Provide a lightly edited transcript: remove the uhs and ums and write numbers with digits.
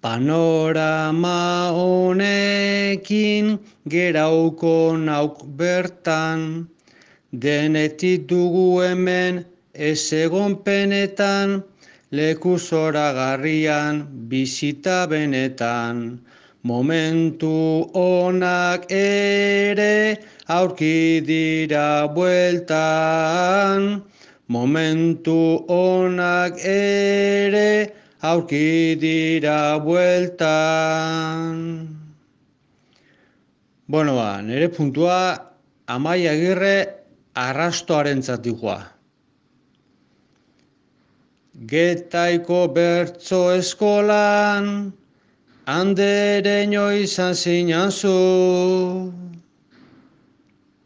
Panorama honekin gerauko nauk bertan, denetik dugu hemen ez egon penetan, leku zoragarrian bizita benetan. Momentu onak ere aurki dira bueltan, momentu onak ere aurki dira bueltan. Bueno, nire puntua Amaia Agirre arrastoarentzat dijoa. Getaiko bertso eskolan, andereño izan zinan zu.